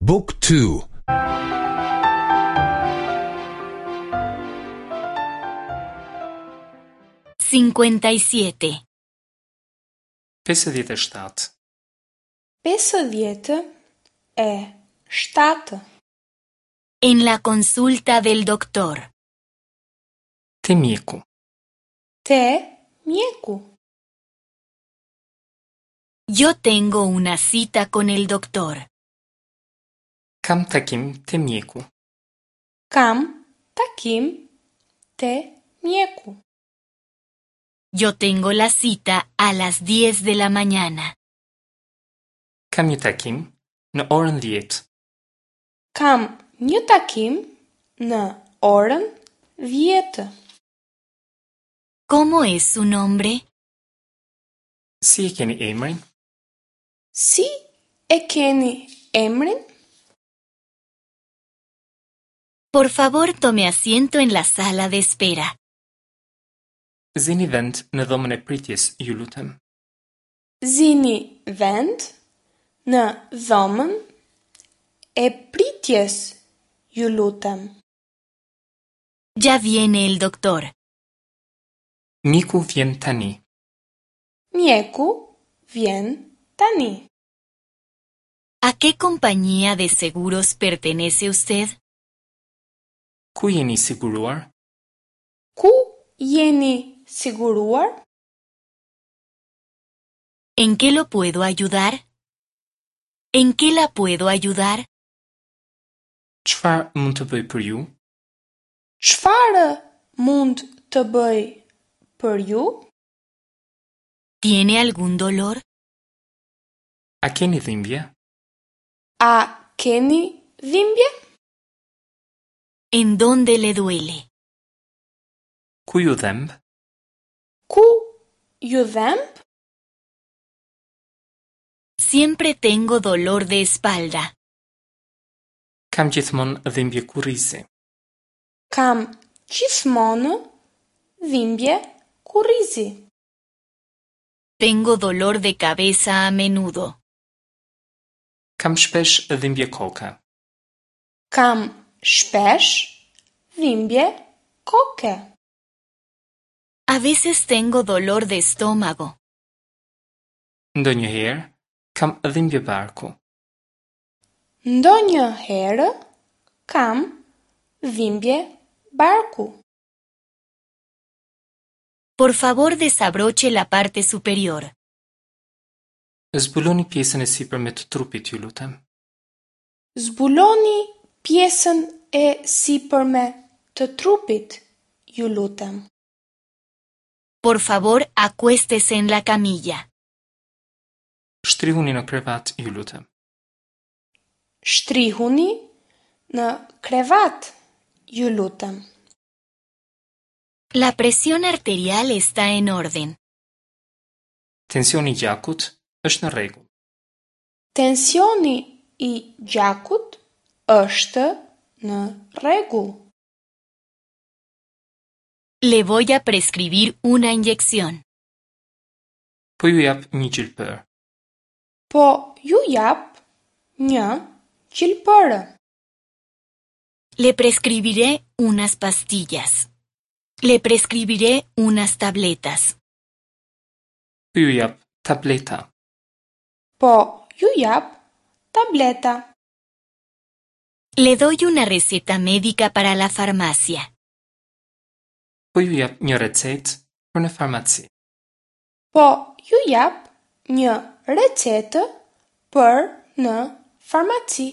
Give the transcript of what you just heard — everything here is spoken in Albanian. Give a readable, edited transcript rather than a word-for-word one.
บุ๊กทู 57. 57. 57. En la consulta del doctor. Te mjeku. Te mjeku. Yo tengo una cita con el doctor. Kam takim te mjeku. Kam takim te mjeku. Yo tengo la cita a las 10 de la mañana. Kam një takim në orën 10. Kam një takim në orën 10. ¿Cómo es su nombre? Si e keni emrin? Si e keni emrin? Por favor, tome asiento en la sala de espera. Zini vend në dhomën e pritjes, ju lutem. Zini vend në dhomën e pritjes, ju lutem. Ya viene el doctor. Mjeku vjen tani. Mjeku vjen tani. ¿A qué compañía de seguros pertenece usted? Ku jeni siguruar? Ku jeni siguruar? ¿En qué lo puedo ayudar? ¿En qué la puedo ayudar? Çfarë mund të bëj për ju? Çfarë mund të bëj për ju? ¿Tiene algún dolor? A keni dhimbje? A keni dhimbje? ¿En dónde le duele? Ku ju dhemb? Ku ju dhemb? Siempre tengo dolor de espalda. Kam gjithmonë dhimbje kurrizi. Kam gjithmonë dhimbje kurrizi. Tengo dolor de cabeza a menudo. Kam shpesh dhimbje koke. Kam shpesh dhimbje koke. A veces tengo dolor de estómago. Ndonjëherë kam dhimbje barku. Ndonjëherë kam dhimbje barku. Por favor, desabroche la parte superior. Zbuloni pjesën e sipërme të trupit, ju lutem. Zbuloni pjesën e sipërme të trupit, ju lutem. Por favor, acuéstese en la camilla. Shtrihuni në krevat, ju lutem. Shtrihuni në krevat, ju lutem. La presión arterial está en orden. Tensioni i gjakut është në rregull. Tensioni i gjakut është në rregull. Le voy a prescribir una inyección. Po ju jap një gjilpër. Po ju jap një gjilpërë. Le prescribiré unas pastillas. Le prescribiré unas tabletas. Po ju jap tableta. Po ju jap tableta. Le doy una receta médica para la farmacia. Po ju jap një recetë për në farmaci. Po ju jap një recetë për në farmaci.